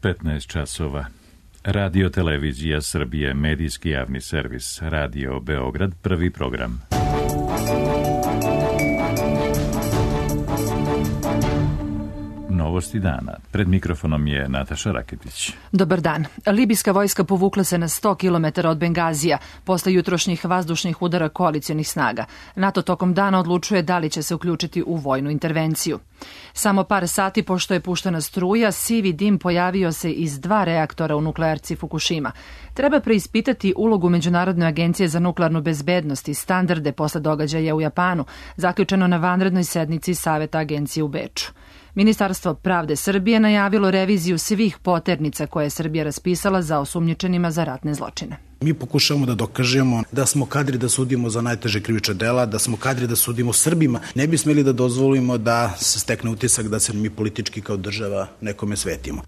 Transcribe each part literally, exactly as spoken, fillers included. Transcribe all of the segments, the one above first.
petnaest časova. Radio Televizija Srbije, medijski javni servis, Radio Beograd, prvi program. Novosti dana. Pred mikrofonom je Nataša Raketić. Dobar dan. Libijska vojska povukla se na sto kilometara od Bengazija posle jutrošnjih vazdušnih udara koalicionih snaga. NATO tokom dana odlučuje da li će se uključiti u vojnu intervenciju. Samo par sati pošto je puštena struja, sivi dim pojavio se iz dva reaktora u nuklearci Fukushima. Treba preispitati ulogu Međunarodne agencije za nuklearnu bezbednost i standarde posle događaja u Japanu, zaključeno na vanrednoj sednici Saveta agencije u Beču. Ministarstvo pravde Srbije najavilo reviziju svih poternica koje je Srbija raspisala za osumnjičenima za ratne zločine. Mi pokušavamo da dokažemo da smo kadri da sudimo za najteže krivična dela, da smo kadri da sudimo Srbima. Ne bi smeli da dozvolimo da se stekne utisak da se mi politički kao država nekome svetimo.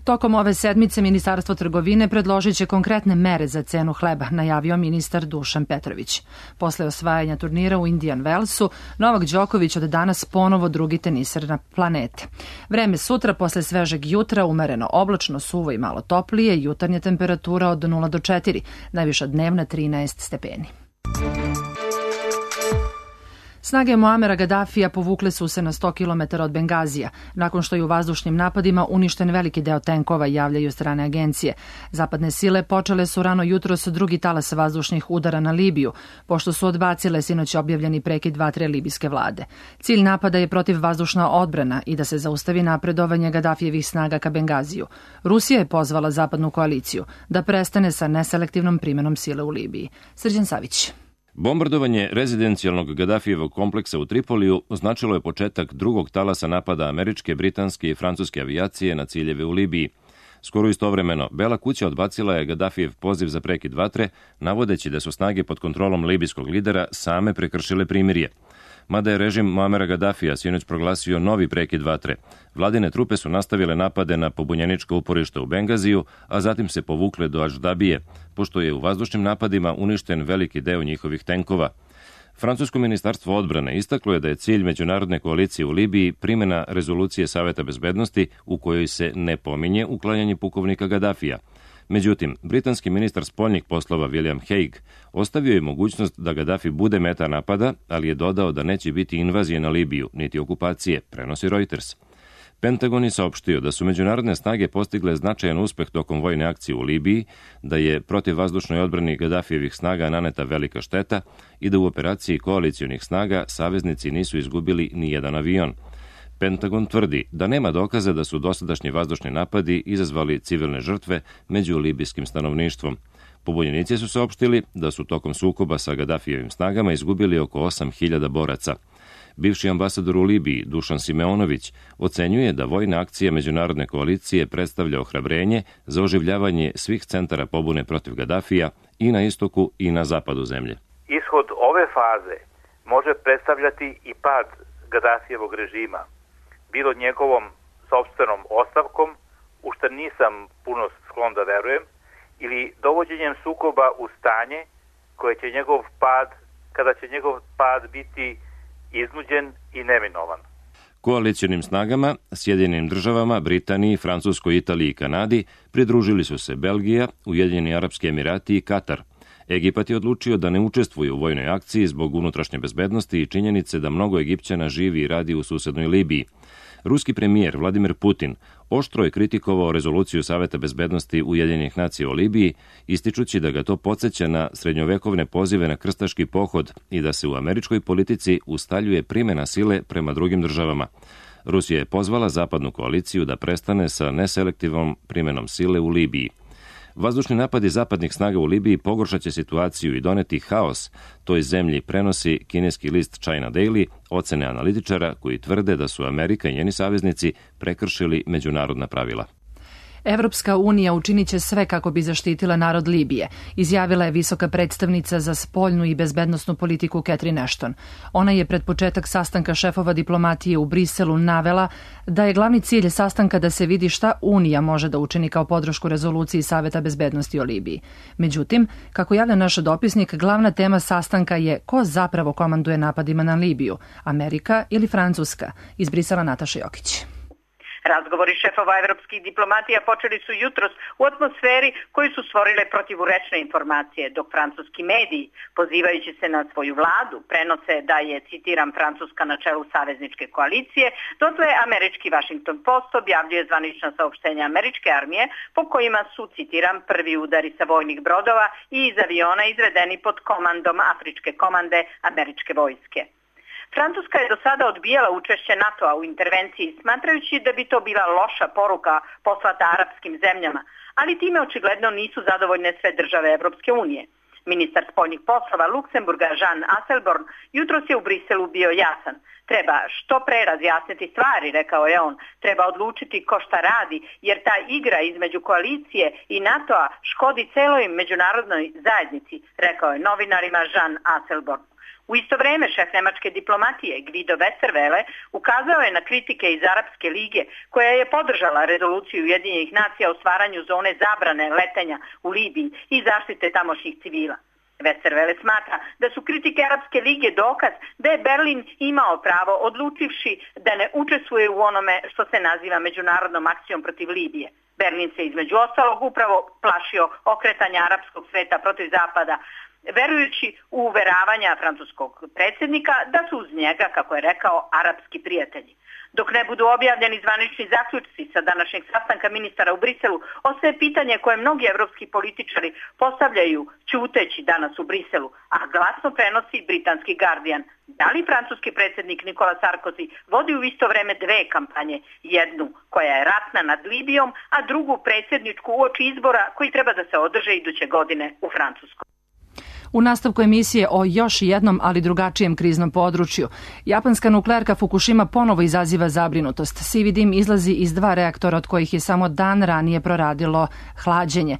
Tokom ove sedmice Ministarstvo trgovine predložit će konkretne mere za cenu hleba, najavio ministar Dušan Petrović. Posle osvajanja turnira u Indian Wellsu, Novak Đoković od danas ponovo drugi teniser na planete. Vreme sutra posle svežeg jutra umereno oblačno, suvo i malo toplije, jutarnja temperatura od nula do četiri, najviša dnevna trinaest stepeni. Snage Muamera Gadafija povukle su se na sto kilometara od Bengazija, nakon što je u vazdušnim napadima uništen veliki deo tenkova, javljaju strane agencije. Zapadne sile počele su rano jutros drugi talas vazdušnih udara na Libiju, pošto su odbacile sinoć objavljeni prekid vatre libijske vlade. Cilj napada je protivvazdušna odbrana i da se zaustavi napredovanje Gadafijevih snaga ka Bengaziju. Rusija je pozvala zapadnu koaliciju da prestane sa neselektivnom primenom sile u Libiji. Srđan Savić. Bombardovanje rezidencijalnog Gadafijevog kompleksa u Tripoliju označilo je početak drugog talasa napada američke, britanske i francuske avijacije na ciljeve u Libiji. Skoro istovremeno, Bela kuća odbacila je Gadafijev poziv za prekid vatre, navodeći da su snage pod kontrolom libijskog lidera same prekršile primirje. Mada je režim Muamera Gadafija sinoć proglasio novi prekid vatre, vladine trupe su nastavile napade na pobunjeničko uporište u Bengaziju, a zatim se povukle do Aždabije, pošto je u vazdušnim napadima uništen veliki deo njihovih tenkova. Francusko ministarstvo odbrane istaklo je da je cilj međunarodne koalicije u Libiji primjena rezolucije Saveta bezbednosti u kojoj se ne pominje uklanjanje pukovnika Gadafija. Međutim, britanski ministar spoljnih poslova William Hague ostavio je mogućnost da Gadafi bude meta napada, ali je dodao da neće biti invazije na Libiju, niti okupacije, prenosi Reuters. Pentagon je saopštio da su međunarodne snage postigle značajan uspeh tokom vojne akcije u Libiji, da je protivvazdušnoj odbrani Gadafijevih snaga naneta velika šteta i da u operaciji koalicionih snaga saveznici nisu izgubili ni jedan avion. Pentagon tvrdi da nema dokaza da su dosadašnji vazdušni napadi izazvali civilne žrtve među libijskim stanovništvom. Pobunjenici su saopštili da su tokom sukoba sa Gadafijevim snagama izgubili oko osam hiljada boraca. Bivši ambasador u Libiji, Dušan Simeonović, ocenjuje da vojna akcija međunarodne koalicije predstavlja ohrabrenje za oživljavanje svih centara pobune protiv Gadafija i na istoku i na zapadu zemlje. Ishod ove faze može predstavljati i pad Gadafijevog režima, bilo njegovom sopstvenom ostavkom, u što nisam puno sklon da verujem, ili dovođenjem sukoba u stanje koje će njegov pad, kada će njegov pad biti iznuđen i neminovan. Koalicionim snagama, Sjedinjenim državama, Britaniji, Francuskoj, Italiji i Kanadi pridružili su se Belgija, Ujedinjeni Arapski Emirati i Katar. Egipat je odlučio da ne učestvuje u vojnoj akciji zbog unutrašnje bezbednosti i činjenice da mnogo Egipćana živi i radi u susednoj Libiji. Ruski premijer Vladimir Putin oštro je kritikovao rezoluciju Saveta bezbednosti Ujedinjenih nacija o Libiji, ističući da ga to podsjeća na srednjovekovne pozive na krstaški pohod i da se u američkoj politici ustaljuje primjena sile prema drugim državama. Rusija je pozvala zapadnu koaliciju da prestane sa neselektivnom primjenom sile u Libiji. Vazdušni napadi zapadnih snaga u Libiji pogoršat će situaciju i doneti haos toj zemlji, prenosi kineski list China Daily, ocene analitičara koji tvrde da su Amerika i njeni saveznici prekršili međunarodna pravila. Evropska unija učinit će sve kako bi zaštitila narod Libije, izjavila je visoka predstavnica za spoljnu i bezbednosnu politiku Catherine Ashton. Ona je pred početak sastanka šefova diplomatije u Briselu navela da je glavni cilj sastanka da se vidi šta Unija može da učini kao podršku rezoluciji Saveta bezbednosti o Libiji. Međutim, kako javlja naš dopisnik, glavna tema sastanka je ko zapravo komanduje napadima na Libiju, Amerika ili Francuska, iz Brisela Nataša Jokić. Razgovori šefova evropskih diplomatija počeli su jutros u atmosferi koju su stvorile protivurečne informacije, dok francuski mediji, pozivajući se na svoju vladu, prenose da je, citiram, Francuska na čelu savezničke koalicije, dotle američki Washington Post objavljuje zvanična saopštenja američke armije po kojima su, citiram, prvi udari sa vojnih brodova i iz aviona izvedeni pod komandom Afričke komande američke vojske. Francuska je do sada odbijala učešće NATO-a u intervenciji, smatrajući da bi to bila loša poruka poslata arapskim zemljama, ali time očigledno nisu zadovoljne sve države Evropske unije. Ministar spoljnih poslova Luksemburga Jean Asselborn jutros je u Briselu bio jasan. Treba što pre razjasniti stvari, rekao je on. Treba odlučiti ko šta radi, jer ta igra između koalicije i NATO-a škodi celoj međunarodnoj zajednici, rekao je novinarima Jean Asselborn. U isto vreme šef nemačke diplomatije Guido Westerwelle ukazao je na kritike iz Arapske lige koja je podržala rezoluciju Ujedinjenih nacija o stvaranju zone zabrane letenja u Libiji i zaštite tamošnjih civila. Westerwelle smatra da su kritike Arapske lige dokaz da je Berlin imao pravo odlučivši da ne učestvuje u onome što se naziva međunarodnom akcijom protiv Libije. Berlin se između ostalog upravo plašio okretanja arapskog sveta protiv zapada, verujući u uveravanja francuskog predsjednika da su uz njega, kako je rekao, arapski prijatelji. Dok ne budu objavljeni zvanični zaključci sa današnjeg sastanka ministara u Briselu, ostaje pitanje koje mnogi evropski političari postavljaju ćuteći danas u Briselu, a glasno prenosi britanski Guardian. Da li francuski predsjednik Nikola Sarkozy vodi u isto vreme dve kampanje, jednu koja je ratna nad Libijom, a drugu predsjedničku uoči izbora koji treba da se održe iduće godine u Francuskoj? U nastavku emisije o još jednom, ali drugačijem kriznom području. Japanska nuklearka Fukushima ponovo izaziva zabrinutost. Sivi dim izlazi iz dva reaktora od kojih je samo dan ranije proradilo hlađenje.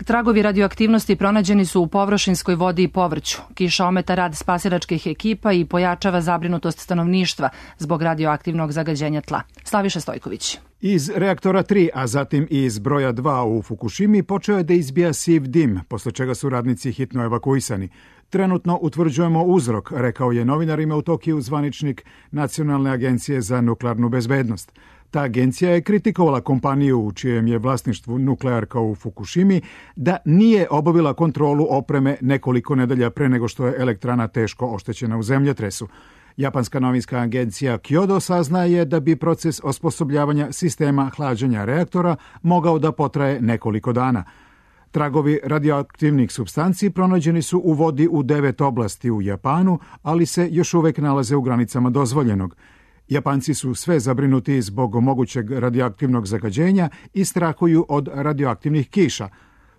Tragovi radioaktivnosti pronađeni su u površinskoj vodi i povrću. Kiša ometa rad spasilačkih ekipa i pojačava zabrinutost stanovništva zbog radioaktivnog zagađenja tla. Slaviša Stojković. Iz reaktora tri, a zatim i iz broja dva u Fukushimi počeo je da izbija siv dim, posle čega su radnici hitno evakuisani. Trenutno utvrđujemo uzrok, rekao je novinarima u Tokiju zvaničnik Nacionalne agencije za nuklearnu bezbednost. Ta agencija je kritikovala kompaniju u čijem je vlasništvu nuklearka u Fukushimi da nije obavila kontrolu opreme nekoliko nedelja pre nego što je elektrana teško oštećena u zemljotresu. Japanska novinska agencija Kyodo saznaje da bi proces osposobljavanja sistema hlađenja reaktora mogao da potraje nekoliko dana. Tragovi radioaktivnih supstanci pronađeni su u vodi u devet oblasti u Japanu, ali se još uvek nalaze u granicama dozvoljenog. Japanci su sve zabrinuti zbog mogućeg radioaktivnog zagađenja i strahuju od radioaktivnih kiša.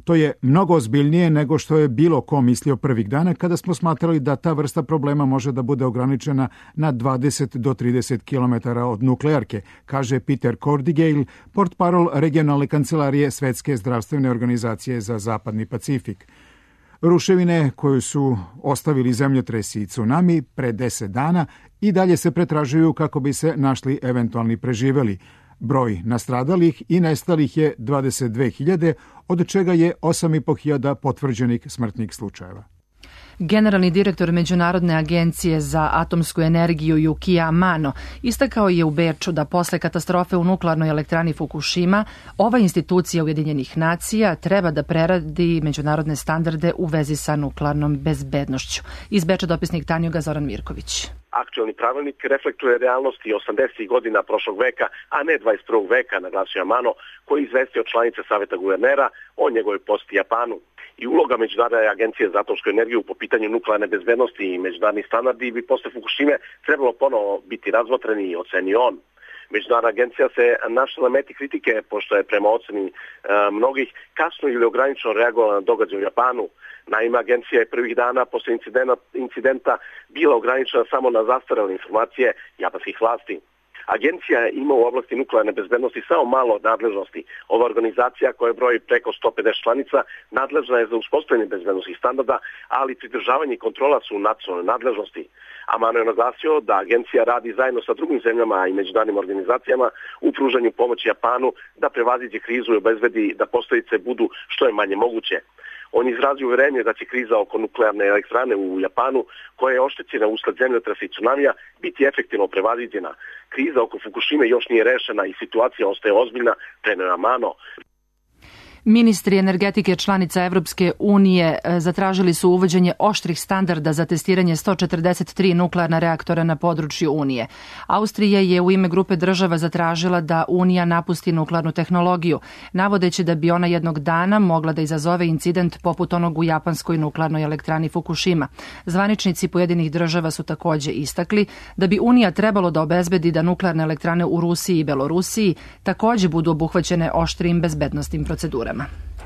To je mnogo ozbiljnije nego što je bilo ko mislio prvih dana kada smo smatrali da ta vrsta problema može da bude ograničena na dvadeset do trideset kilometara od nuklearke, kaže Peter Cordigale, portparol regionalne kancelarije Svetske zdravstvene organizacije za Zapadni Pacifik. Ruševine koju su ostavili zemljotresi i tsunami pre deset dana i dalje se pretražuju kako bi se našli eventualni preživeli. Broj nastradalih i nestalih je dvadeset dve hiljade, od čega je osam i po hiljada potvrđenih smrtnih slučajeva. Generalni direktor Međunarodne agencije za atomsku energiju Yukio Amano istakao je u Beču da posle katastrofe u nuklearnoj elektrani Fukushima ova institucija Ujedinjenih nacija treba da preradi međunarodne standarde u vezi sa nuklearnom bezbednošću. Iz Beča dopisnik Tanjuga Zoran Mirković. Aktualni pravilnik reflektuje realnosti osamdesetih godina prošlog veka, a ne dvadeset prvog veka, naglasio Amano, koji izvestio članice Saveta guvernera o njegovoj poseti Japanu. I uloga Međunarodne agencije za atomsku energiju po pitanju nuklearne bezbednosti i međunarodni standardi bi posle Fukushime trebalo ponovo biti razmotreni i ocenio on. Međunarodna agencija se našla na meti kritike, pošto je prema oceni e, mnogih kasno ili ograničeno reagovala na događaj u Japanu. Naime, agencija je prvih dana posle incidenta, incidenta bila ograničena samo na zastarele informacije japanskih vlasti. Agencija ima u oblasti nuklearne bezbednosti samo malo nadležnosti. Ova organizacija koja broji preko sto pedeset članica nadležna je za uspostavljanje bezbednostnih standarda, ali pridržavanje i kontrola su u nacionalnoj nadležnosti. Amano je naglasio da agencija radi zajedno sa drugim zemljama i međunarodnim organizacijama u pružanju pomoći Japanu da prevaziđe krizu i obezbedi da posljedice budu što je manje moguće. On izrazio uverenje da će kriza oko nuklearne elektrane u Japanu, koja je oštećena usled zemljotresa i tsunamija, biti efektivno prevaziđena. Kriza oko Fukushime još nije rešena i situacija ostaje ozbiljna, preneo je Amano. Ministri energetike članica Evropske unije zatražili su uvođenje oštrih standarda za testiranje sto četrdeset tri nuklearna reaktora na području Unije. Austrija je u ime grupe država zatražila da Unija napusti nuklearnu tehnologiju, navodeći da bi ona jednog dana mogla da izazove incident poput onog u japanskoj nuklearnoj elektrani Fukushima. Zvaničnici pojedinih država su takođe istakli da bi Unija trebalo da obezbedi da nuklearne elektrane u Rusiji i Belorusiji takođe budu obuhvaćene oštrim bezbednosnim procedurama.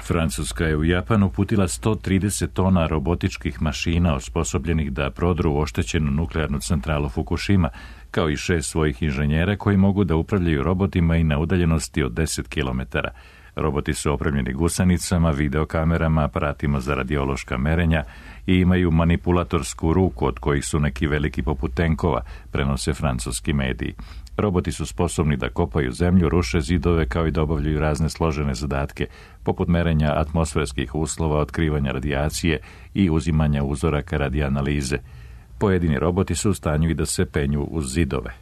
Francuska je u Japan uputila sto trideset tona robotičkih mašina osposobljenih da prodru oštećenu nuklearnu centralu Fukushima, kao i šest svojih inženjera koji mogu da upravljaju robotima i na udaljenosti od deset kilometara. Roboti su opremljeni gusanicama, videokamerama, aparatima za radiološka merenja i imaju manipulatorsku ruku od kojih su neki veliki poput tenkova, prenose francuski mediji. Roboti su sposobni da kopaju zemlju, ruše zidove kao i da obavljaju razne složene zadatke, poput merenja atmosferskih uslova, otkrivanja radijacije i uzimanja uzoraka radi analize. Pojedini roboti su u stanju i da se penju uz zidove.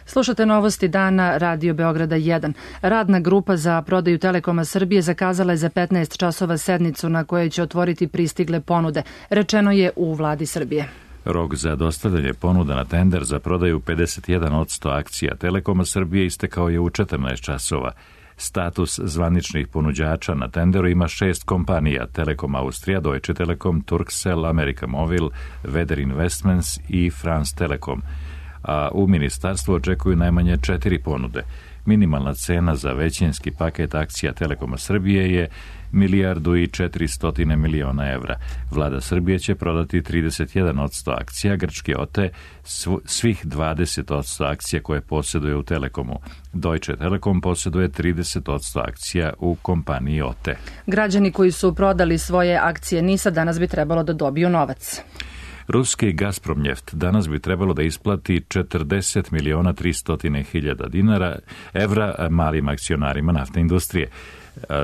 Slušate novosti dana Radio Beograda jedan. Radna grupa za prodaju Telekoma Srbije zakazala je za petnaest časova sednicu na kojoj će otvoriti pristigle ponude, rečeno je u Vladi Srbije. Rok za dostavljanje ponuda na tender za prodaju pedeset jedan posto akcija Telekoma Srbije istekao je u četrnaest časova. Status zvaničnih ponuđača na tenderu ima šest kompanija: Telekom Austrija, Deutsche Telekom, Turkcell, America Movil, Weather Investments i France Telekom. A u ministarstvu očekuju najmanje četiri ponude. Minimalna cena za većinski paket akcija Telekoma Srbije je milijardu i četiristo miliona evra. Vlada Srbije će prodati trideset jedan posto akcija, grčki O T E svih dvadeset posto akcija koje posjeduje u Telekomu. Deutsche Telekom posjeduje trideset posto akcija u kompaniji O T E. Građani koji su prodali svoje akcije NIS-a danas bi trebalo da dobiju novac. Ruski Gazpromnjeft danas bi trebalo da isplati četrdeset miliona tristo hiljada dinara evra malim akcionarima naftne industrije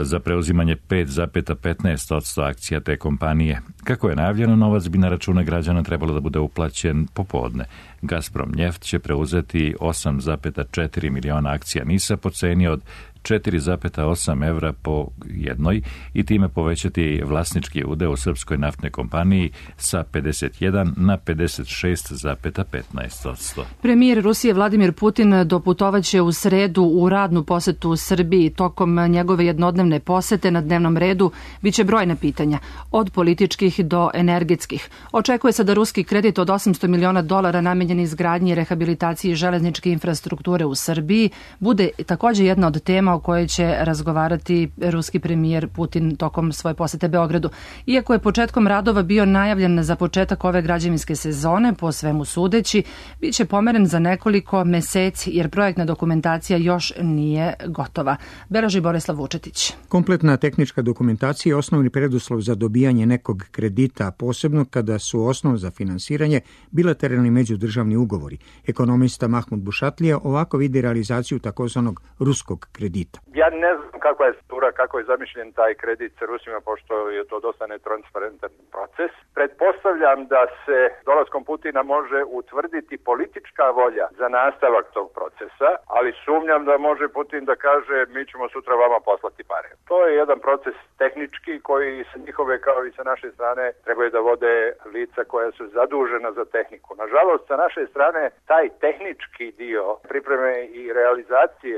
za preuzimanje pet zarez petnaest posto akcija te kompanije. Kako je najavljeno, novac bi na račune građana trebalo da bude uplaćen popodne. Gazpromnjeft će preuzeti osam zarez četiri miliona akcija NIS-a po ceni od četiri zarez osam evra po jednoj i time povećati vlasnički udeo u srpskoj naftnoj kompaniji sa pedeset jedan na pedeset šest zarez petnaest posto. Premijer Rusije Vladimir Putin doputovaće u sredu u radnu posetu u Srbiji. Tokom njegove jednodnevne posete na dnevnom redu biće brojna pitanja, od političkih do energetskih. Očekuje se da ruski kredit od osamsto miliona dolara namenjen izgradnji i rehabilitaciji železničke infrastrukture u Srbiji bude takođe jedna od tema o kojoj će razgovarati ruski premijer Putin tokom svoje posete Beogradu. Iako je početkom radova bio najavljen za početak ove građevinske sezone, po svemu sudeći, bit će pomeren za nekoliko meseci jer projektna dokumentacija još nije gotova. Beleži Borislav Vučetić. Kompletna tehnička dokumentacija je osnovni preduslov za dobijanje nekog kredita, posebno kada su osnov za finansiranje bilateralni međudržavni ugovori. Ekonomista Mahmud Bušatlija ovako vidi realizaciju takozvanog ruskog kredita. Ja ne znam kakva je struktura, kako je zamišljen taj kredit sa Rusima, pošto je to dosta netransparentan proces. Pretpostavljam da se dolaskom Putina može utvrditi politička volja za nastavak tog procesa, ali sumnjam da može Putin da kaže mi ćemo sutra vama poslati pare. To je jedan proces tehnički koji sa njihove kao i sa naše strane trebaju da vode lica koja su zadužena za tehniku. Nažalost, sa naše strane taj tehnički dio pripreme i realizacije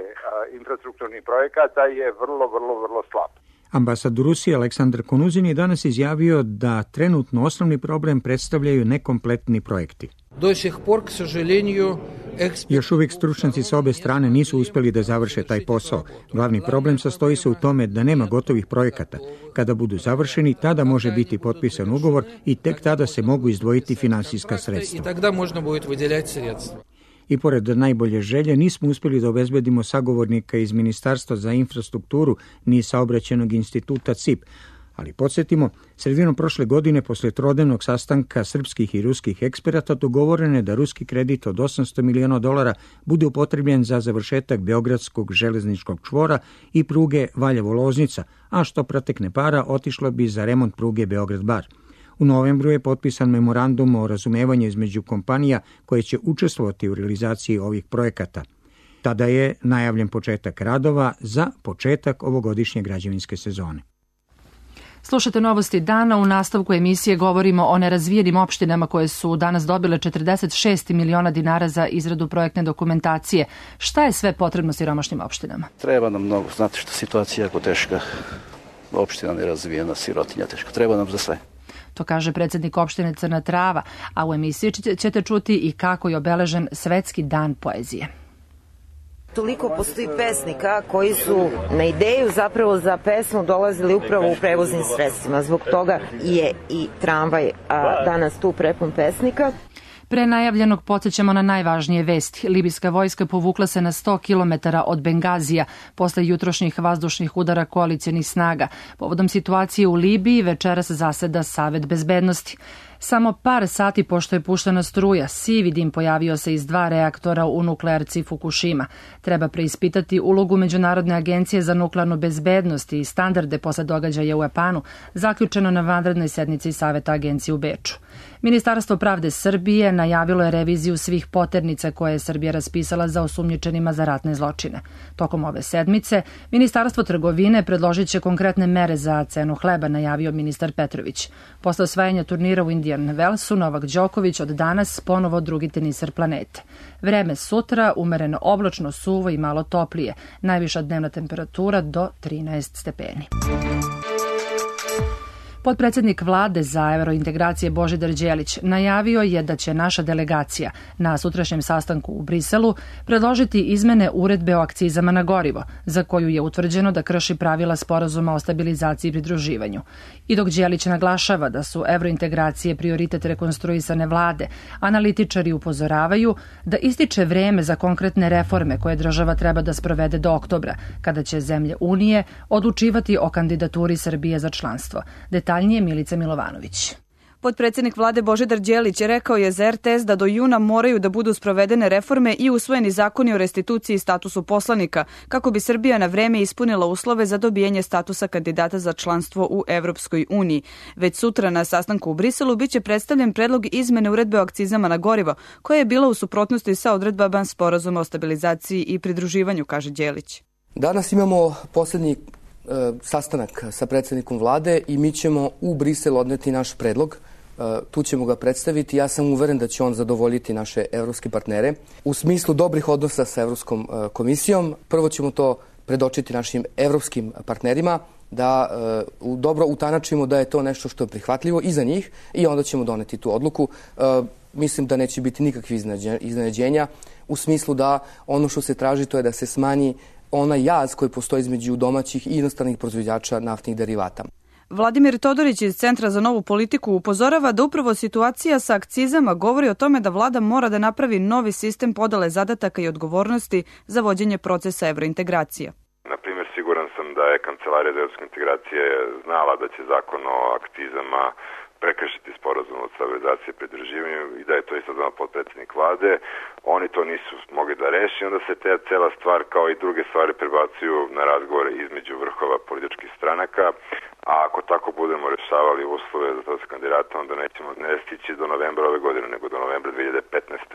infrastrukturnih projekata je vrlo, vrlo, vrlo slab. Ambasador Rusije Aleksandar Konuzin je danas izjavio da trenutno osnovni problem predstavljaju nekompletni projekti. Još uvijek stručnjaci sa obe strane nisu uspjeli da završe taj posao. Glavni problem sastoji se u tome da nema gotovih projekata. Kada budu završeni, tada može biti potpisan ugovor i tek tada se mogu izdvojiti finansijska sredstva. I pored najbolje želje nismo uspjeli da obezbedimo sagovornika iz Ministarstva za infrastrukturu ni saobraćenog instituta C I P, Ali podsjetimo, sredinom prošle godine posle trodnevnog sastanka srpskih i ruskih eksperata dogovoreno je da ruski kredit od osamsto miliona dolara bude upotrebljen za završetak Beogradskog železničkog čvora i pruge Valjevo-Loznica, a što protekne para otišlo bi za remont pruge Beograd-Bar. U novembru je potpisan memorandum o razumevanju između kompanija koje će učestvovati u realizaciji ovih projekata. Tada je najavljen početak radova za početak ovogodišnje građevinske sezone. Slušate novosti dana. U nastavku emisije govorimo o nerazvijenim opštinama koje su danas dobile četrdeset šest miliona dinara za izradu projektne dokumentacije. Šta je sve potrebno siromašnim opštinama? Treba nam mnogo. Znate što situacija je jako teška. Opština nerazvijena, sirotinja teška. Treba nam za sve. To kaže predsjednik opštine Crna Trava, a u emisiji ćete čuti i kako je obeležen Svetski dan poezije. Toliko postoji pesnika koji su na ideju zapravo za pesmu dolazili upravo u prevoznim sredstvima. Zbog toga je i tramvaj a danas tu prepun pesnika. Pre najavljenog podsjećamo na najvažnije vesti. Libijska vojska povukla se na sto kilometara od Bengazija posle jutrošnjih vazdušnih udara koalicionih snaga. Povodom situacije u Libiji večeras zaseda Savet bezbednosti. Samo par sati pošto je puštena struja, sivi dim pojavio se iz dva reaktora u nuklearci Fukushima. Treba preispitati ulogu Međunarodne agencije za nuklearnu bezbednost i standarde posle događaja u Japanu, zaključeno na vanrednoj sednici Saveta agencije u Beču. Ministarstvo pravde Srbije najavilo je reviziju svih poternica koje je Srbija raspisala za osumnjičenima za ratne zločine. Tokom ove sedmice, Ministarstvo trgovine predložit će konkretne mere za cenu hleba, najavio ministar Petrović. Posle osvajanja turnira u Indian Wellsu, Novak Đoković od danas ponovo drugi teniser planete. Vreme sutra umereno oblačno, suvo i malo toplije. Najviša dnevna temperatura do trinaest stepeni. Potpredsjednik vlade za evrointegracije Božidar Đelić najavio je da će naša delegacija na sutrašnjem sastanku u Briselu predložiti izmene uredbe o akcizama na gorivo, za koju je utvrđeno da krši pravila sporazuma o stabilizaciji i pridruživanju. I dok Đelić naglašava da su evrointegracije prioritet rekonstruisane vlade, analitičari upozoravaju da ističe vreme za konkretne reforme koje država treba da sprovede do oktobra, kada će zemlje Unije odlučivati o kandidaturi Srbije za članstvo. Detaljnije Milica Milovanović. Potpredsjednik vlade Božidar Đelić rekao je za er te es da do juna moraju da budu sprovedene reforme i usvojeni zakoni o restituciji i statusu poslanika, kako bi Srbija na vreme ispunila uslove za dobijanje statusa kandidata za članstvo u Evropskoj uniji. Već sutra na sastanku u Briselu biće predstavljen predlog izmene uredbe o akcizama na gorivo, koja je bila u suprotnosti sa odredbama sporazuma o stabilizaciji i pridruživanju, kaže Đelić. Danas imamo posljednji sastanak sa predsjednikom vlade i mi ćemo u Brisel odneti naš predlog. Tu ćemo ga predstaviti. Ja sam uveren da će on zadovoljiti naše evropske partnere. U smislu dobrih odnosa sa Evropskom komisijom, prvo ćemo to predočiti našim evropskim partnerima, da uh, dobro utanačimo da je to nešto što je prihvatljivo i za njih i onda ćemo doneti tu odluku. Uh, mislim da neće biti nikakvih iznenađenja u smislu da ono što se traži to je da se smanji onaj jaz koji postoji između domaćih i inostranih proizvođača naftnih derivata. Vladimir Todorić iz Centra za novu politiku upozorava da upravo situacija sa akcizama govori o tome da vlada mora da napravi novi sistem podele zadataka i odgovornosti za vođenje procesa evrointegracija. Na primjer, siguran sam da je Kancelarija za evropske integracije znala da će zakon o akcizama prekršiti sporazum o stabilizaciji i pridruživanju i da je to isto znao potpredsjednik vlade. Oni to nisu mogli da reši, onda se te cela stvar kao i druge stvari prebacuju na razgovore između vrhova političkih stranaka, a ako tako budemo rešavali uslove za to kandidata, onda nećemo ne stići do novembra ove godine, nego do novembra dve hiljade petnaeste.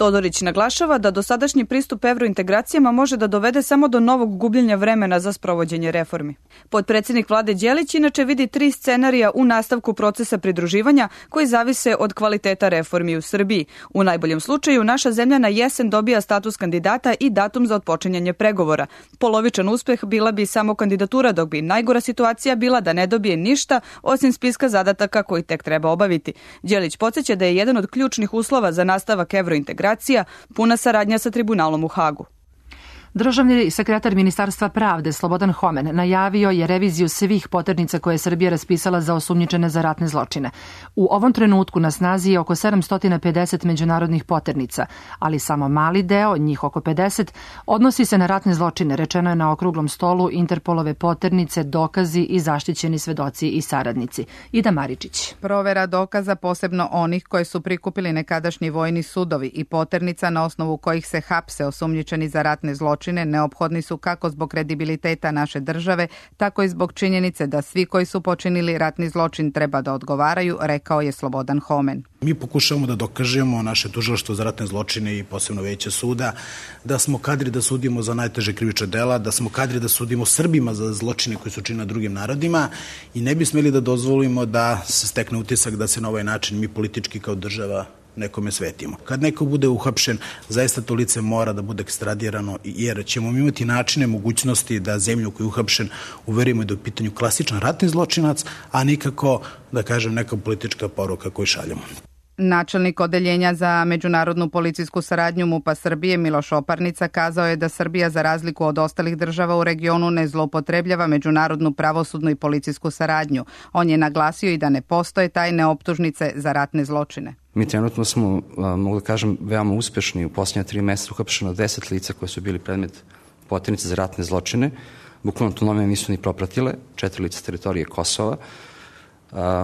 Todorić naglašava da dosadašnji pristup evrointegracijama može da dovede samo do novog gubljenja vremena za sprovođenje reformi. Potpredsjednik vlade Đelić inače vidi tri scenarija u nastavku procesa pridruživanja koji zavise od kvaliteta reformi u Srbiji. U najboljem slučaju naša zemlja na jesen dobija status kandidata i datum za otpočinjanje pregovora. Polovičan uspeh bila bi samo kandidatura, dok bi najgora situacija bila da ne dobije ništa osim spiska zadataka koji tek treba obaviti. Đelić podsjeća da je jedan od ključnih uslova za nastavak evrointegracija puna saradnja sa tribunalom u Hagu. Državni sekretar Ministarstva pravde Slobodan Homen najavio je reviziju svih poternica koje je Srbija raspisala za osumnjičene za ratne zločine. U ovom trenutku na snazi je oko sedamsto pedeset međunarodnih poternica, ali samo mali deo, njih oko pedeset, odnosi se na ratne zločine, rečeno je na okruglom stolu Interpolove poternice, dokazi i zaštićeni svedoci i saradnici. Ida Maričić. Provera dokaza, posebno onih koje su prikupili nekadašnji vojni sudovi i poternica na osnovu kojih se hapse osumnjičeni za ratne zločine, neophodni su kako zbog kredibiliteta naše države, tako i zbog činjenice da svi koji su počinili ratni zločin treba da odgovaraju, rekao je Slobodan Homen. Mi pokušavamo da dokažemo naše tužilaštvo za ratne zločine i posebno veće suda da smo kadri da sudimo za najteže krivična dela, da smo kadri da sudimo Srbima za zločine koji su činili drugim narodima i ne bi smeli da dozvolimo da se stekne utisak da se na ovaj način mi politički kao država nekome svetimo. Kad neko bude uhapšen, zaista to lice mora da bude ekstradirano, jer ćemo imati načine, mogućnosti da zemlju koju je uhapšen uverimo da je u pitanju klasičan ratni zločinac, a nikako, da kažem, neka politička poruka koju šaljemo. Načelnik odeljenja za međunarodnu policijsku saradnju MUP-a Srbije Miloš Oparnica kazao je da Srbija za razliku od ostalih država u regionu ne zloupotrebljava međunarodnu pravosudnu i policijsku saradnju. On je naglasio i da ne postoje tajne optužnice za ratne zločine. Mi trenutno smo, mogu da kažem, veoma uspešni. U posljednja tri meseca uhapšeno deset lica koje su bili predmet poternice za ratne zločine. Bukvalno to nome nisu ni propratile. Četiri lica s teritorije Kosova,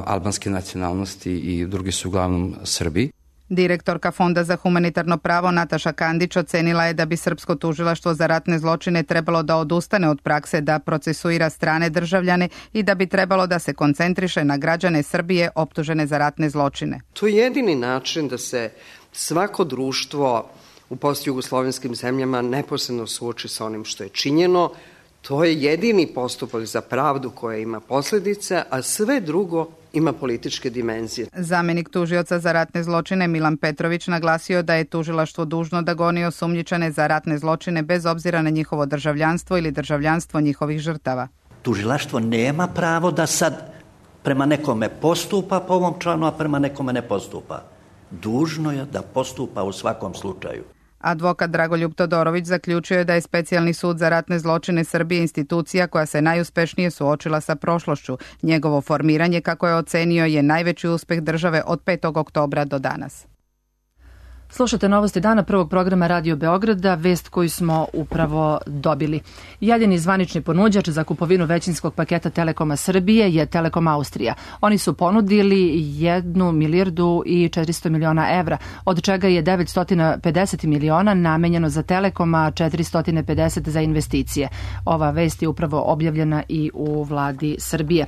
albanske nacionalnosti i drugi su uglavnom Srbi. Direktorka Fonda za humanitarno pravo Nataša Kandić ocenila je da bi Srpsko tužilaštvo za ratne zločine trebalo da odustane od prakse da procesuira strane državljane i da bi trebalo da se koncentriše na građane Srbije optužene za ratne zločine. To je jedini način da se svako društvo u postjugoslovenskim zemljama neposredno suoči sa onim što je činjeno. To je jedini postupak za pravdu koja ima posljedice, a sve drugo ima političke dimenzije. Zamenik tužioca za ratne zločine Milan Petrović naglasio da je tužilaštvo dužno da goni osumnjičene za ratne zločine bez obzira na njihovo državljanstvo ili državljanstvo njihovih žrtava. Tužilaštvo nema pravo da sad prema nekome postupa po ovom članu, a prema nekome ne postupa. Dužno je da postupa u svakom slučaju. Advokat Dragoljub Todorović zaključio je da je Specijalni sud za ratne zločine Srbije institucija koja se najuspešnije suočila sa prošlošću. Njegovo formiranje, kako je ocenio, je najveći uspeh države od petog oktobra do danas. Slušate novosti dana prvog programa Radio Beograda, vest koju smo upravo dobili. Jedini zvanični ponuđač za kupovinu većinskog paketa Telekoma Srbije je Telekom Austrija. Oni su ponudili jednu milijardu i četiristo miliona evra, od čega je devetsto pedeset miliona namenjeno za Telekom, a četiristo pedeset za investicije. Ova vest je upravo objavljena i u vladi Srbije.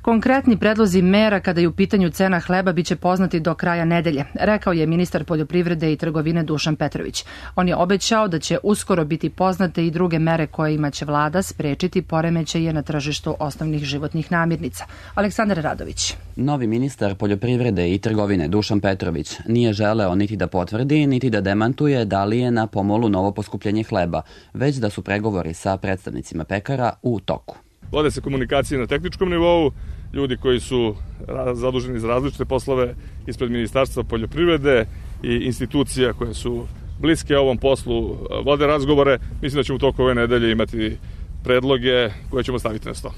Konkretni predlozi mera kada je u pitanju cena hleba biće poznati do kraja nedelje, rekao je ministar poljoprivrede i trgovine Dušan Petrović. On je obećao da će uskoro biti poznate i druge mere kojima će vlada sprečiti poremećaje na tržištu osnovnih životnih namirnica. Aleksandar Radović. Novi ministar poljoprivrede i trgovine Dušan Petrović nije želeo niti da potvrdi, niti da demantuje da li je na pomolu novo poskupljenje hleba, već da su pregovori sa predstavnicima pekara u toku. Vode se komunikacije na tehničkom nivou, ljudi koji su zaduženi za različite poslove ispred Ministarstva poljoprivrede i institucija koje su bliske ovom poslu vode razgovore. Mislim da ćemo u toku ove nedelje imati predloge koje ćemo staviti na sto.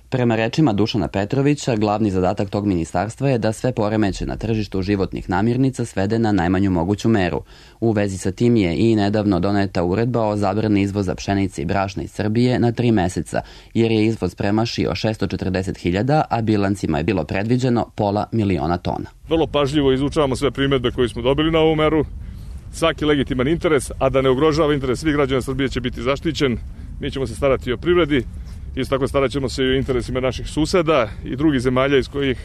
Prema rečima Dušana Petrovića, glavni zadatak tog ministarstva je da sve poremeće na tržištu životnih namirnica svede na najmanju moguću meru. U vezi sa tim je i nedavno doneta uredba o zabrani izvoza pšenice i brašna iz Srbije na tri meseca, jer je izvoz premašio šesto četrdeset hiljada, a bilancima je bilo predviđeno pola miliona tona. Vrlo pažljivo izučavamo sve primedbe koje smo dobili na ovu meru. Svaki legitiman interes, a da ne ugrožava interes svih građana Srbije, će biti zaštićen. Mi ćemo se starati o privredi. Isto tako starat ćemo se i o interesima naših suseda i drugih zemalja iz kojih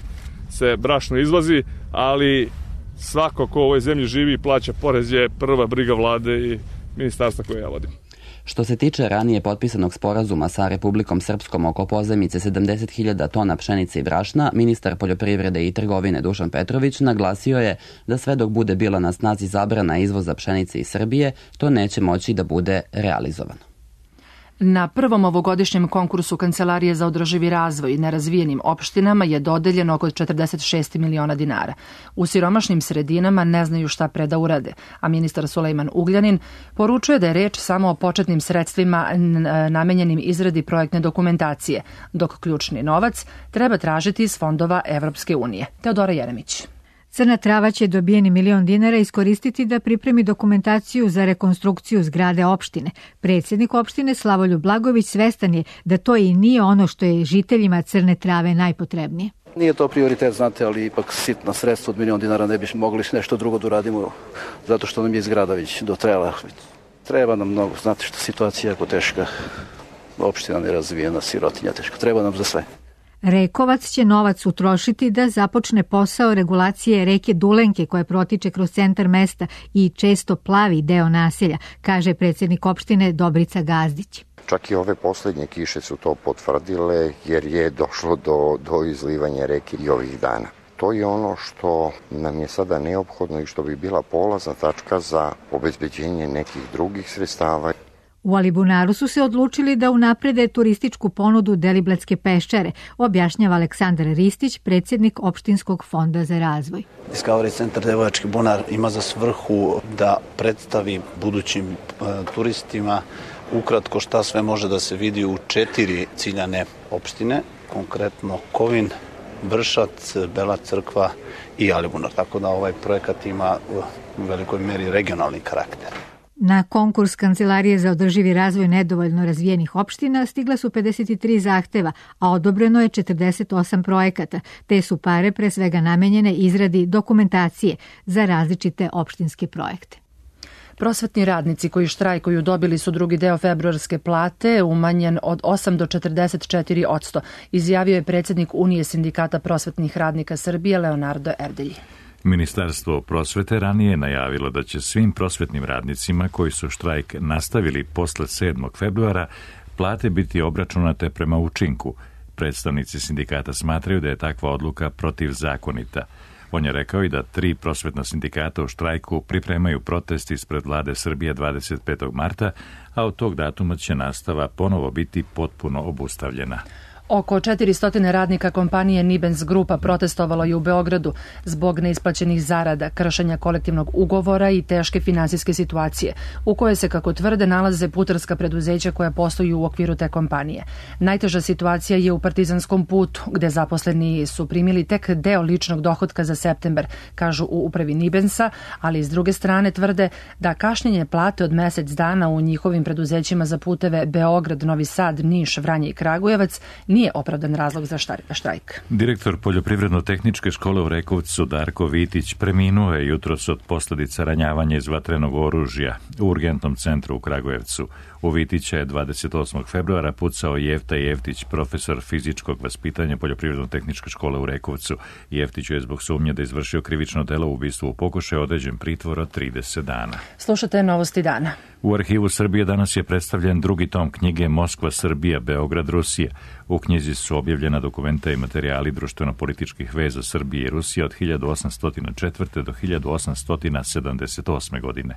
se brašno izvozi, ali svako ko u ovoj zemlji živi i plaća porez je prva briga vlade i ministarstva koje ja vodim. Što se tiče ranije potpisanog sporazuma sa Republikom Srpskom oko pozajmice sedamdeset hiljada tona pšenice i brašna, ministar poljoprivrede i trgovine Dušan Petrović naglasio je da sve dok bude bila na snazi zabrana izvoza pšenice iz Srbije, to neće moći da bude realizovano. Na prvom ovogodišnjem konkursu Kancelarije za održivi razvoj nerazvijenim opštinama je dodeljeno oko četrdeset šest miliona dinara. U siromašnim sredinama ne znaju šta pre da urade, a ministar Sulejman Ugljanin poručuje da je reč samo o početnim sredstvima namenjenim izradi projektne dokumentacije, dok ključni novac treba tražiti iz fondova Evropske unije. Teodora Jeremić. Crna Trava će dobijeni milion dinara iskoristiti da pripremi dokumentaciju za rekonstrukciju zgrade opštine. Predsjednik opštine Slavoljub Blagović svestan je da to i nije ono što je žiteljima Crne Trave najpotrebnije. Nije to prioritet, znate, ali ipak sitna sredstva od milion dinara ne bi mogli nešto drugo da uradimo, zato što nam je zgrada već dotrajala. Treba nam mnogo, znate što situacija je jako teška, opština nerazvijena, sirotinja teška, treba nam za sve. Rekovac će novac utrošiti da započne posao regulacije reke Dulenke koja protiče kroz centar mesta i često plavi deo naselja, kaže predsjednik opštine Dobrica Gazdić. Čak i ove posljednje kiše su to potvrdile jer je došlo do, do izlivanja reke i ovih dana. To je ono što nam je sada neophodno i što bi bila polazna tačka za obezbeđenje nekih drugih sredstava. U Alibunaru su se odlučili da unaprede turističku ponudu Deliblatske peščare, objašnjava Aleksandar Ristić, predsjednik opštinskog fonda za razvoj. Discovery centar Devojački bunar ima za svrhu da predstavi budućim uh, turistima ukratko šta sve može da se vidi u četiri ciljane opštine, konkretno Kovin, Vršac, Bela Crkva i Alibunar. Tako da ovaj projekat ima u velikoj meri regionalni karakter. Na konkurs Kancelarije za održivi razvoj nedovoljno razvijenih opština stigla su pedeset tri zahteva, a odobreno je četrdeset osam projekata, te su pare pre svega namenjene izradi dokumentacije za različite opštinske projekte. Prosvetni radnici koji štrajkuju dobili su drugi deo februarske plate umanjen od osam do četrdeset četiri posto, izjavio je predsjednik Unije sindikata prosvetnih radnika Srbije Leonardo Erdelji. Ministarstvo prosvete ranije je najavilo da će svim prosvetnim radnicima koji su štrajk nastavili posle sedmog februara plate biti obračunate prema učinku. Predstavnici sindikata smatraju da je takva odluka protivzakonita. On je rekao i da tri prosvetna sindikata u štrajku pripremaju protest ispred vlade Srbije dvadeset petog marta, a od tog datuma će nastava ponovo biti potpuno obustavljena. Oko četiristo radnika kompanije Nibens Grupa protestovalo je u Beogradu zbog neisplaćenih zarada, kršenja kolektivnog ugovora i teške finansijske situacije, u kojoj se, kako tvrde, nalaze putarska preduzeća koja posluju u okviru te kompanije. Najteža situacija je u Partizanskom putu, gde zaposleni su primili tek deo ličnog dohotka za septembar, kažu u upravi Nibensa, ali s druge strane tvrde da kašnjenje plate od mesec dana u njihovim preduzećima za puteve Beograd, Novi Sad, Niš, Vranje i Kragujevac nije opravdan razlog za štrajk. Direktor Poljoprivredno-tehničke škole u Rekovcu Darko Vitić preminuo je jutros od posljedica ranjavanja iz vatrenog oružja u urgentnom centru u Kragujevcu. U Vitića je dvadeset osmog februara pucao Jefta Jeftić, profesor fizičkog vaspitanja Poljoprivredno-tehničke škole u Rekovcu. Jeftiću je zbog sumnje da izvršio krivično delo u ubistvu u pokušaju određen pritvor od trideset dana. Slušate Novosti dana. U Arhivu Srbije danas je predstavljen drugi tom knjige Moskva, Srbija, Beograd, Rusija. U knjizi su objavljena dokumenta i materijali društveno-političkih veza Srbije i Rusije od hiljadu osamsto četvrte. do hiljadu osamsto sedamdeset osme. godine.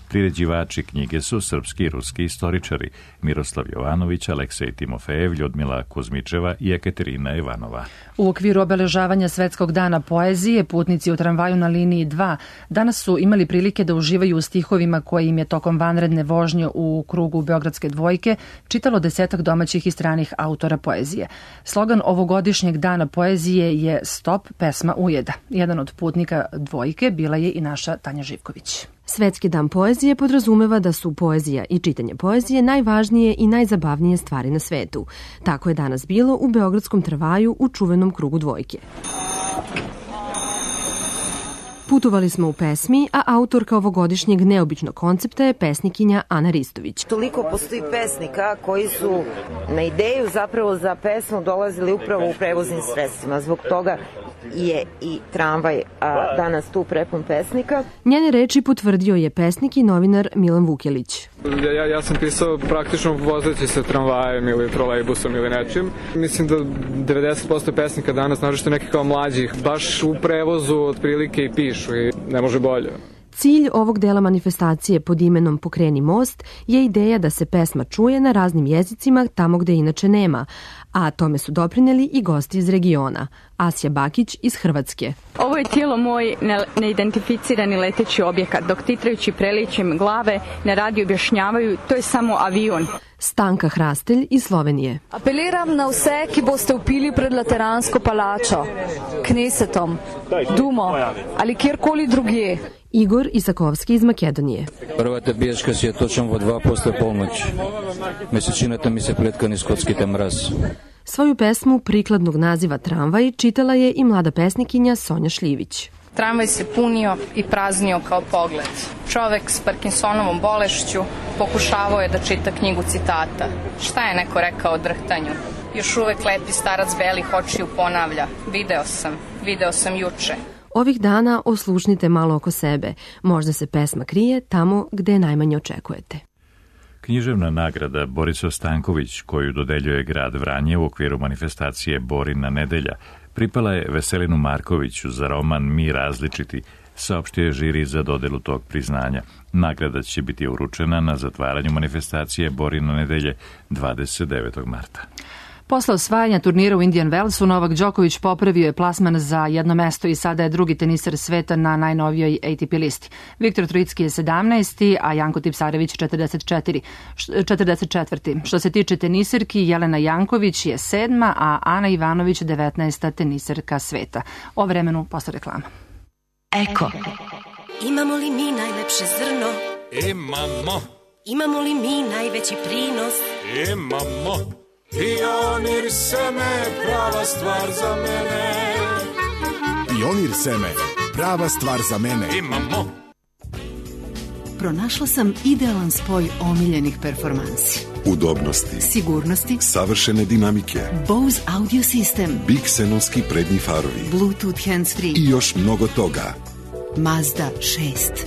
Priređivači knjige su srpski i ruski istoričari Miroslav Jovanović, Aleksej Timofejev, Ljudmila Kuzmičeva i Ekaterina Ivanova. U okviru obeležavanja Svetskog dana poezije, putnici u tramvaju na liniji dva danas su imali prilike da uživaju u stihovima koje im je tokom vanredne vožnje u krugu Beogradske dvojke čitalo desetak domaćih i stranih autora poezije. Slogan ovogodišnjeg dana poezije je Stop, pesma ujeda. Jedan od putnika dvojke bila je i naša Tanja Živković. Svetski dan poezije podrazumeva da su poezija i čitanje poezije najvažnije i najzabavnije stvari na svetu. Tako je danas bilo u Beogradskom tramvaju u čuvenom krugu dvojke. Putovali smo u pesmi, a autorka ovogodišnjeg neobičnog koncepta je pesnikinja Ana Ristović. Toliko postoji pesnika koji su na ideju zapravo za pesmu dolazili upravo u prevoznim sredstvima. Zbog toga je i tramvaj a danas tu prepun pesnika. Njene reči potvrdio je pesnik i novinar Milan Vukelić. Ja, ja sam pisao praktično vozeći se tramvajem ili trolejbusom ili nečim. Mislim da devedeset posto pesnika danas, naročito neki kao mlađih, baš u prevozu otprilike i pišu i ne može bolje. Cilj ovog dela manifestacije pod imenom Pokreni most je ideja da se pesma čuje na raznim jezicima tamo gde inače nema, a tome su doprineli i gosti iz regiona. Asja Bakić iz Hrvatske. Ovo je tijelo moj neidentificirani leteći objekat, dok titrajući preličem glave na radiju objašnjavaju to je samo avion. Stanka Hrastelj iz Slovenije. Apeliram na vse, ki boste vpili pred Lateransko palačo, Knesetom, Dumo ali kjerkoli drugje. Igor Isakovski iz Makedonije. Prvата biješka si je točno vo dva posle polnoći. Mesečinata mi se pletka niz kockita mraz. Svoju pesmu prikladnog naziva Tramvaj čitala je i mlada pesnikinja Sonja Šljivić. Tramvaj se punio i praznio kao pogled. Čovek s Parkinsonovom bolešću pokušavao je da čita knjigu citata. Šta je neko rekao o drhtanju? Još uvek lepi starac belih očiju ponavlja. Video sam, video sam juče. Ovih dana oslušnite malo oko sebe. Možda se pesma krije tamo gde je najmanje očekujete. Književna nagrada Borislav Stanković, koju dodeljuje grad Vranje u okviru manifestacije Borina nedelja, pripala je Veselinu Markoviću za roman Mi različiti, saopštio je žiri za dodelu tog priznanja. Nagrada će biti uručena na zatvaranju manifestacije Borina nedelje dvadeset devetog marta. Posle osvajanja turnira u Indian Wellsu, Novak Đoković popravio je plasman za jedno mesto i sada je drugi teniser sveta na najnovijoj A T P listi. Viktor Trojicki je sedamnaesti, a Janko Tipsarević četrdeset četiri, četrdeset četvrti. Što se tiče teniserki, Jelena Janković je sedma, a Ana Ivanović devetnaesta teniserka sveta. O vremenu posle reklama. Eko. Imamo li mi najlepše zrno? Imamo. Imamo li mi najveći prinos? Imamo. Pionir seme, prava stvar za mene. Pionir seme, prava stvar za mene. Imamo. Pronašla sam idealan spoj omiljenih performansi. Udobnosti, sigurnosti, savršene dinamike, Bose audio sistem, Big Xenovski prednji farovi, Bluetooth hands-free i još mnogo toga. Mazda šest.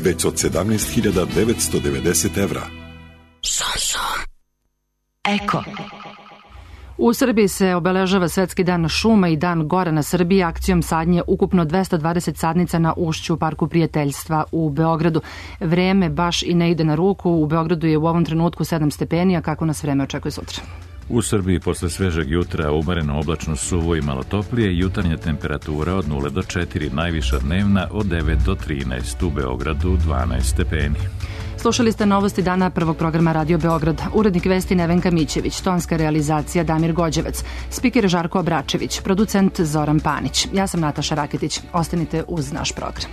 Već od sedamnaest hiljada devetsto devedeset evra. Samsung. Eko. U Srbiji se obeležava Svetski dan šuma i dan gora na Srbiji akcijom sadnje ukupno dvesta dvadeset sadnica na ušću Parku prijateljstva u Beogradu. Vreme baš i ne ide na ruku. U Beogradu je u ovom trenutku sedam stepeni, a kako nas vreme očekuje sutra? U Srbiji posle svežeg jutra umereno oblačno, suvo i malo toplije, jutarnja temperatura od nula do četiri, najviša dnevna od devet do trinaest, u Beogradu dvanaest stepeni. Slušali ste novosti dana prvog programa Radio Beograd. Urednik vesti Nevenka Mićević, tonska realizacija Damir Gođevac, spiker Žarko Obračević, producent Zoran Panić. Ja sam Nataša Raketić. Ostanite uz naš program.